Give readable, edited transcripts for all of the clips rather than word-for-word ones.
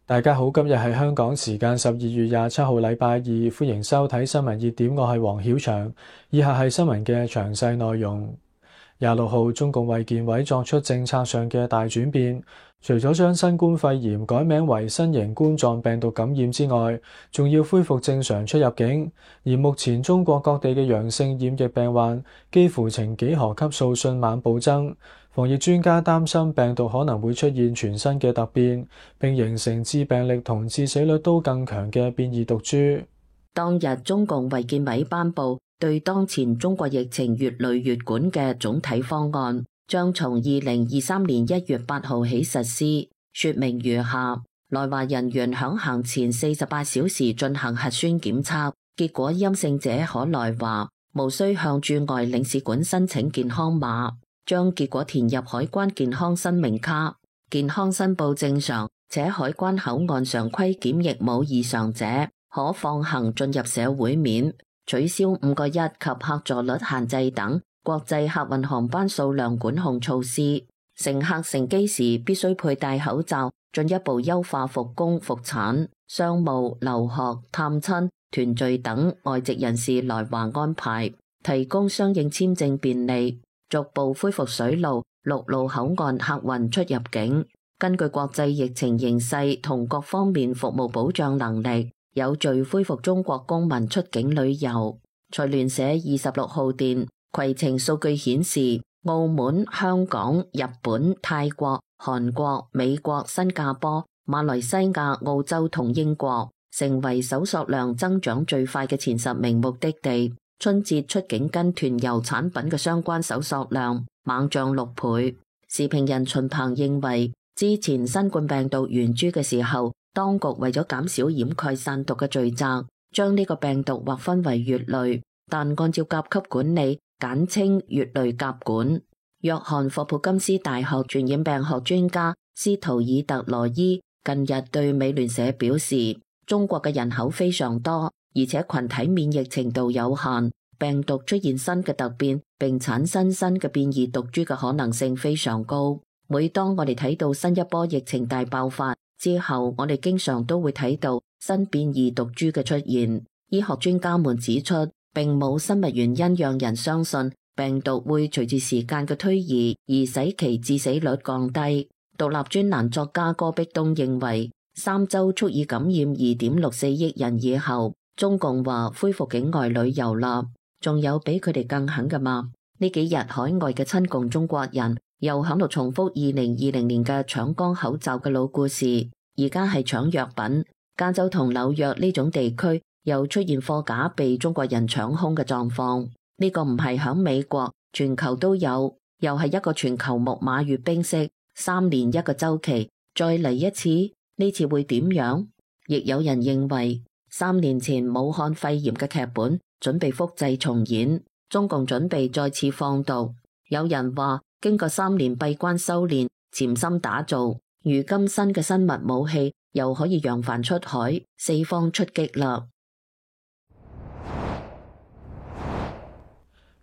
大家好，今日係香港時間12月27號，禮拜二，歡迎收睇新聞熱點，我係黃曉翔。以下係新聞嘅詳細內容。26號，中共衛健委作出政策上嘅大轉變，除咗將新冠肺炎改名為新型冠狀病毒感染之外，仲要恢復正常出入境。而目前中國各地嘅陽性染疫病患幾乎呈幾何級數迅猛暴增。防疫專家擔心病毒可能會出現全新嘅突變，並形成致病力同致死率都更強嘅變異毒株。當日中共衛健委頒布對當前中國疫情越累越管嘅總體方案，將從2023年1月8號起實施，說明如下：來華人員響行前48小時進行核酸檢測，結果陰性者可來華，無需向駐外領事館申請健康碼，將結果填入海關健康申明卡，健康申報正常且海關口岸常規檢疫冇異常者，可放行進入社會面，取消5個1及客座率限制等國際客運航班數量管控措施。乘客乘機時必須佩戴口罩，進一步優化復工復產、商務、留學、探親、團聚等外籍人士來華安排，提供相應簽證便利。逐步恢復水路、陸路口岸客運出入境，根據國際疫情形勢同各方面服務保障能力，有序恢復中國公民出境旅遊。財聯社26號電，攜程數據顯示，澳門、香港、日本、泰國、韓國、美國、新加坡、馬來西亞、澳洲同英國成為搜索量增長最快嘅前10名目的地。春節出境跟團遊產品嘅相關搜索量猛漲6倍。時評人秦鵬認為，之前新冠病毒源株嘅時候，當局為咗減少掩蓋散毒嘅罪責，將呢個病毒劃分為乙類，但按照甲級管理，簡稱乙類甲管。約翰霍普金斯大學傳染病學專家斯圖爾特羅伊近日對美聯社表示，中國嘅人口非常多，而且群體免疫程度有限，病毒出現新嘅突變並產生新嘅變異毒株嘅可能性非常高。每當我哋睇到新一波疫情大爆發之後，我哋經常都會睇到新變異毒株嘅出現。醫學專家們指出，並冇生物原因讓人相信病毒會隨住時間嘅推移而使其致死率降低。獨立專欄作家戈壁東認為，3週足以感染2.64億人以後，中共話恢復境外旅遊啦，仲有比佢哋更狠㗎嘛？呢幾日海外嘅親共中國人又喺度重複2020年嘅搶光口罩嘅老故事，而家係搶藥品。加州同紐約呢種地區又出現貨架被中國人搶空嘅狀況，呢個唔係響美國，全球都有，又係一個全球木馬閱兵式，3年一個週期，再嚟一次，呢次會點樣？亦有人認為3年前武漢肺炎嘅劇本準備複製重演，中共準備再次放毒。有人話經過3年閉關修煉、潛心打造，如今新嘅生物武器又可以揚帆出海，四方出擊啦。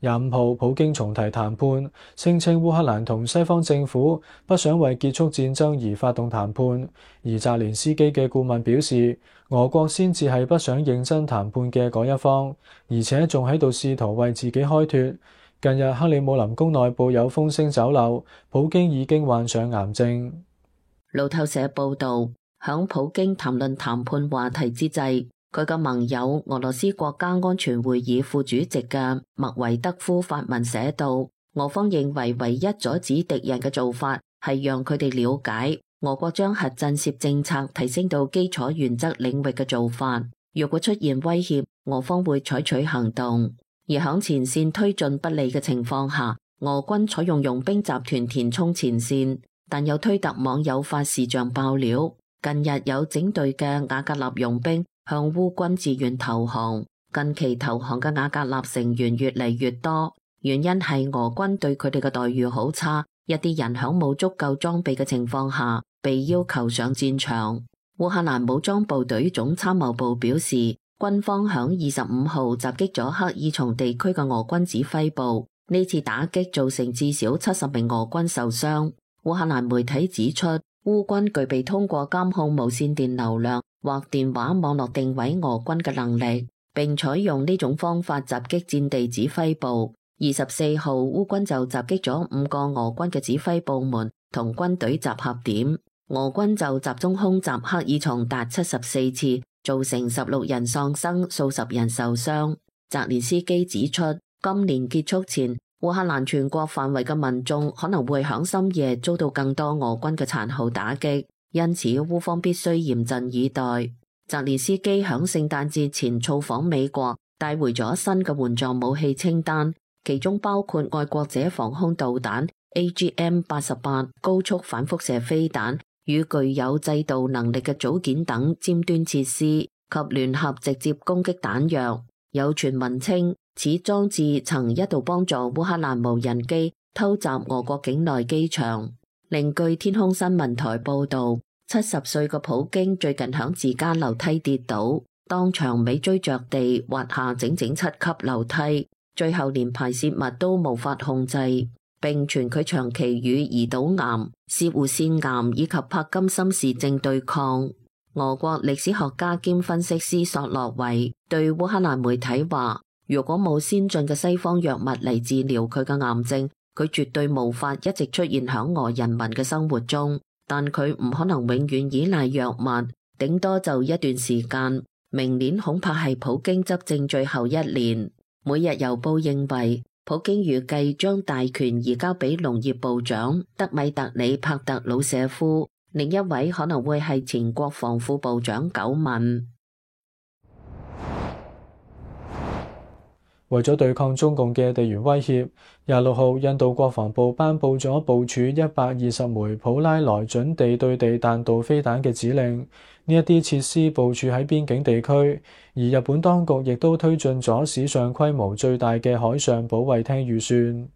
25號，普京重提談判，聲稱烏克蘭同西方政府不想為結束戰爭而發動談判，而澤連斯基嘅顧問表示，俄國先至係不想認真談判嘅嗰一方，而且仲喺度試圖為自己開脫。近日克里姆林宮內部有風聲走漏，普京已經患上癌症。路透社報道，響普京談論談判話題之際，佢嘅盟友俄羅斯國家安全會議副主席嘅麥維德夫發文寫道，俄方認為唯一阻止敵人嘅做法係讓佢哋了解俄國將核震懾政策提升到基礎原則領域嘅做法。若果出現威脅，俄方會採取行動。而響前線推進不利嘅情況下，俄軍採用傭兵集團填充前線，但有推特網友發視像爆料，近日有整隊嘅瓦格納傭兵向烏軍自願投降，近期投降嘅瓦格納成員越嚟越多，原因係俄軍對佢哋嘅待遇好差，一啲人響冇足夠裝備嘅情況下被要求上戰場。烏克蘭武裝部隊總參謀部表示，軍方響25號襲擊咗克爾松地區嘅俄軍指揮部，呢次打擊造成至少70名俄軍受傷。烏克蘭媒體指出，烏軍具備通過監控無線電流量或電話網絡定位俄軍嘅能力，並採用呢種方法襲擊戰地指揮部。24號，烏軍就襲擊咗5個俄軍嘅指揮部門同軍隊集合點。俄軍就集中空襲克爾松達74次，造成16人喪生，數十人受傷。澤連斯基指出，今年結束前，烏克蘭全國範圍嘅民眾可能會響深夜遭到更多俄軍嘅殘酷打擊，因此烏方必須嚴陣以待。澤連斯基響聖誕節前造訪美國，帶回咗新嘅援助武器清單，其中包括愛國者防空導彈 AGM-88 高速反輻射飛彈與具有制導能力嘅組件等尖端設施及聯合直接攻擊彈藥。有傳聞稱，此裝置曾一度幫助烏克蘭無人機偷襲俄國境內機場。另據天空新聞台報道，70歲嘅普京最近響自家樓梯跌倒，當場尾椎着地滑下整整7級樓梯，最後連排泄物都無法控制，並傳佢長期與胰島癌、攝護腺癌以及帕金森氏症對抗。俄國歷史學家兼分析師索洛維對烏克蘭媒體話，如果冇先進嘅西方藥物嚟治療佢嘅癌症，佢絕對無法一直出現響俄人民嘅生活中。但佢唔可能永遠依賴藥物，頂多就一段時間。明年恐怕係普京執政最後一年。每日郵報認為，普京預計將大權移交俾農業部長德米特里帕特魯舍夫。另一位可能會係前國防副部長久敏。為咗對抗中共嘅地緣威脅，26號印度國防部頒布咗部署120枚普拉萊準地對地彈道飛彈嘅指令。呢一啲設施部署喺邊境地區，而日本當局亦都推進咗史上規模最大嘅海上保衛廳預算。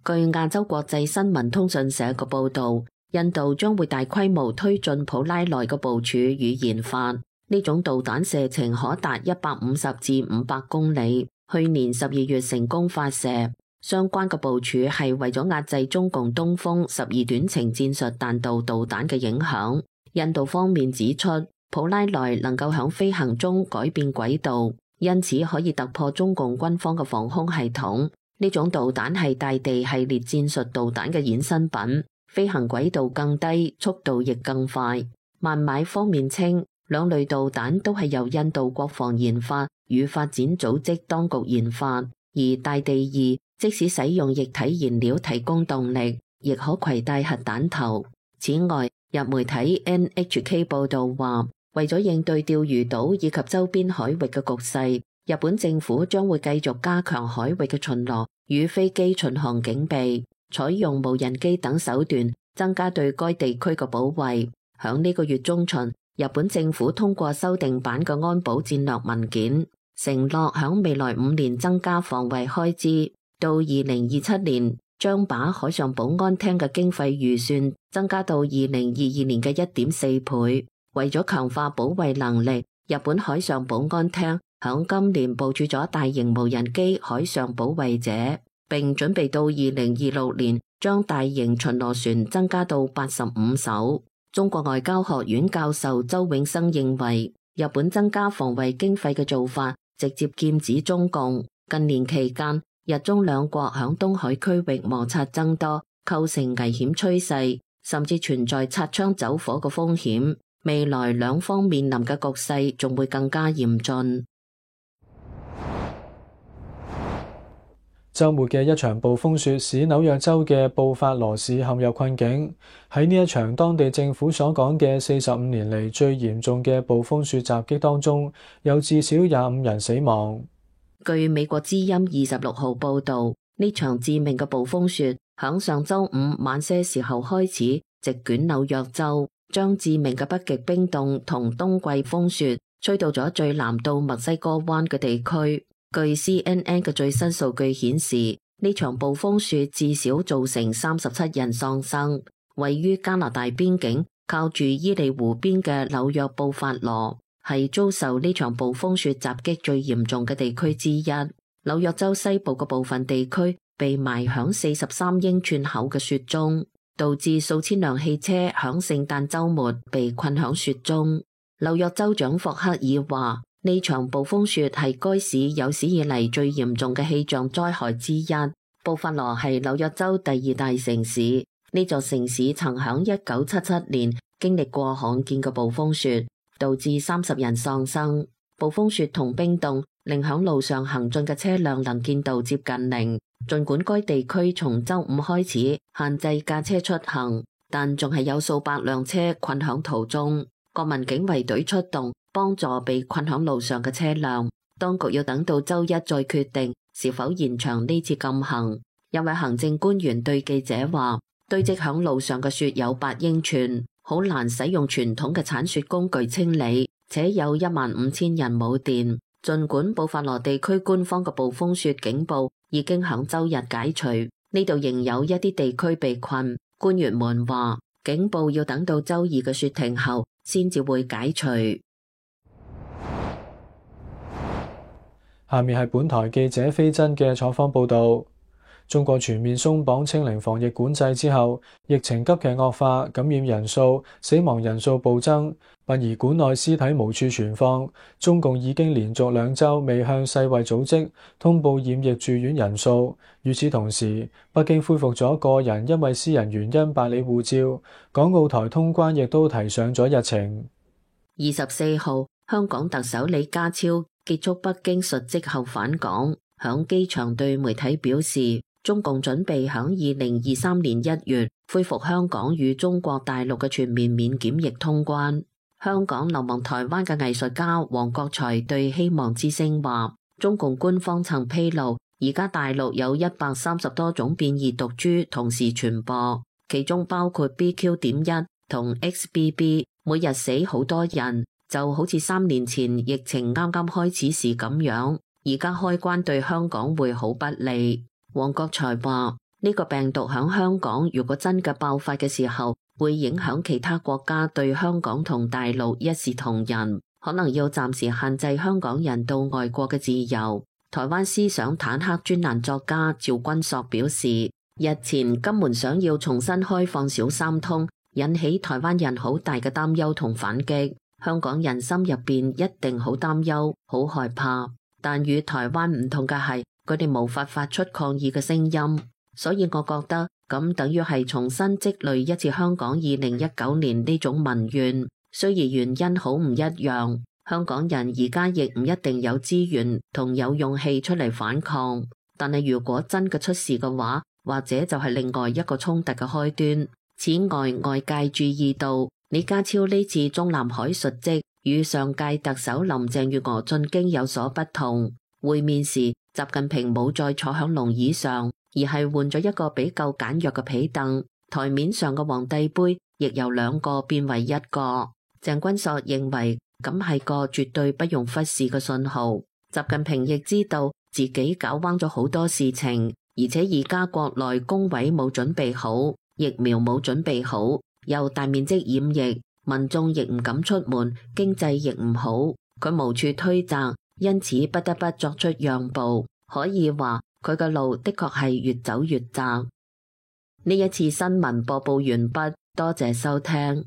據亞洲國際新聞通訊社嘅報導，印度將會大規模推進普拉萊嘅部署與研發。呢種導彈射程可達150至500公里，去年12月成功發射。相關嘅部署係為咗壓制中共東風12短程戰術彈道導彈嘅影響。印度方面指出，普拉萊能夠響飛行中改變軌道，因此可以突破中共軍方嘅防空系統。呢種導彈係大地系列戰術導彈嘅衍生品，飛行軌道更低，速度亦更快。孟買方面稱，兩類導彈都係由印度國防研發與發展組織當局研發，而大地2即使使用液體燃料提供動力，亦可攜帶核彈頭。此外，日媒體 NHK 報道話，為咗應對釣魚島以及周邊海域嘅局勢，日本政府將會繼續加強海域嘅巡邏與飛機巡航警備，採用無人機等手段增加對該地區嘅保衛。響呢個月中旬，日本政府通過修訂版嘅安保戰略文件，承諾響未來5年增加防衛開支，到2027年將把海上保安廳嘅經費預算增加到2022年嘅1.4倍。為咗強化保衛能力，日本海上保安廳響今年部署咗大型無人機海上保衛者，並準備到2026年將大型巡邏船增加到85艘。中國外交學院教授周永生認為，日本增加防衛經費嘅做法直接劍指中共。近年期間，日中兩國響東海區域摩擦增多，構成危險趨勢，甚至存在擦槍走火嘅風險。未來兩方面臨嘅局勢仲會更加嚴峻。週末嘅一場暴風雪使紐約州嘅布法羅市陷入困境。喺呢一場當地政府所講嘅45年嚟最嚴重嘅暴風雪襲擊當中，有至少25人死亡。據美國之音26號報導，呢場致命嘅暴風雪響上週五晚些時候開始席捲紐約州，將致命嘅北極冰凍同冬季風雪吹到咗最南到墨西哥灣嘅地區。據 CNN 嘅最新數據顯示，呢場暴風雪至少造成37人喪生。位於加拿大邊境靠住伊利湖邊嘅紐約布法羅係遭受呢場暴風雪襲擊最嚴重嘅地區之一。紐約州西部嘅部分地區被埋響43英寸厚嘅雪中。導致數千輛汽車響聖誕週末被困響雪中。紐約州長霍克爾話：呢場暴風雪係該市有史以嚟最嚴重嘅氣象災害之一。布法羅係紐約州第二大城市，呢座城市曾響1977年經歷過罕見嘅暴風雪，導致30人喪生。暴風雪同冰凍令響路上行進嘅車輛能見度接近零。儘管該地區從週五開始限制駕車出行，但仲係有數百輛車困響途中。國民警衛隊出動幫助被困響路上嘅車輛。當局要等到週一再決定是否延長呢次禁行。一位行政官員對記者話：堆積響路上嘅雪有8英寸，好難使用傳統嘅鏟雪工具清理，且有15000人冇電。儘管布法羅地區官方嘅暴風雪警報已經響週日解除，呢度仍有一啲地區被困。官員們話，警報要等到週二嘅雪停後先至會解除。下面係本台記者飛真嘅採訪報導。中國全面鬆綁清零防疫管制之後，疫情急劇惡化，感染人數、死亡人數暴增，殯儀館內屍體無處存放。中共已經連續2週未向世衛組織通報染疫住院人數。與此同時，北京恢復咗個人因為私人原因辦理護照，港澳台通關亦都提上咗日程。24號，香港特首李家超結束北京述職後返港，響機場對媒體表示，中共準備響2023年1月恢復香港與中國大陸嘅全面免檢疫通關。香港流亡台灣嘅藝術家黃國財對希望之聲話，中共官方曾披露，而家大陸有130多種變異毒株同時傳播，其中包括 BQ.1 同 XBB， 每日死好多人，就好似3年前疫情啱啱開始時咁樣。而家開關對香港會好不利。黃國財話，呢個病毒響香港如果真嘅爆發嘅時候，會影響其他國家對香港同大陸一視同仁，可能要暫時限制香港人到外國嘅自由。台灣思想坦克專欄作家趙君朔表示，日前金門想要重新開放小三通，引起台灣人好大嘅擔憂同反擊。香港人心入邊一定好擔憂、好害怕，但與台灣唔同嘅係，佢哋無法發出抗議嘅聲音，所以我覺得咁等於係重新積累一次香港2019年呢種民怨。雖然原因好唔一樣，香港人而家亦唔一定有資源同有勇氣出嚟反抗，但係如果真嘅出事嘅話，或者就係另外一個衝突嘅開端。此外，外界注意到李家超呢次中南海述職與上屆特首林鄭月娥進京有所不同。會面時，習近平冇再坐響龍椅上，而係換咗一個比較簡約嘅被凳。台面上嘅皇帝杯亦由2個變為1個。鄭君朔認為咁係個絕對不容忽視嘅信號。習近平亦知道自己搞彎咗好多事情，而且而家國內工位冇準備好，疫苗冇準備好，又大面積染疫，民眾亦唔敢出門，經濟亦唔好，佢無處推責。因此不得不作出讓步，可以話佢嘅路的確係越走越窄。呢一次新聞播報完畢，多謝收聽。